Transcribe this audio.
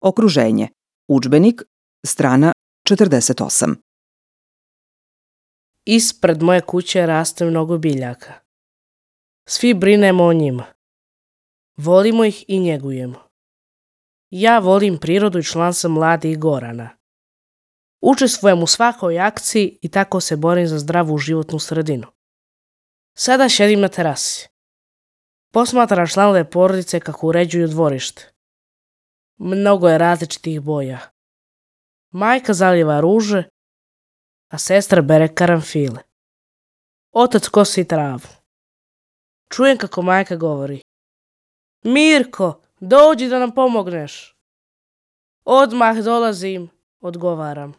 Okruženje. Udžbenik, strana 48. Ispred moje kuće raste mnogo biljaka. Svi brinemo o njima. Volimo ih i njegujemo. Ja volim prirodu i član sam Mladih Gorana. Učestvujem u svakoj akciji i tako se borim za zdravu životnu sredinu. Sada šedim na terasi. Posmatram članove porodice kako uređuju dvorište. Mnogo je različitih boja. Majka zaliva ruže, a sestra bere karanfile. Otac kosi travu. Čujem kako majka govori: Mirko, dođi da nam pomogneš. Odmah dolazim, odgovaram.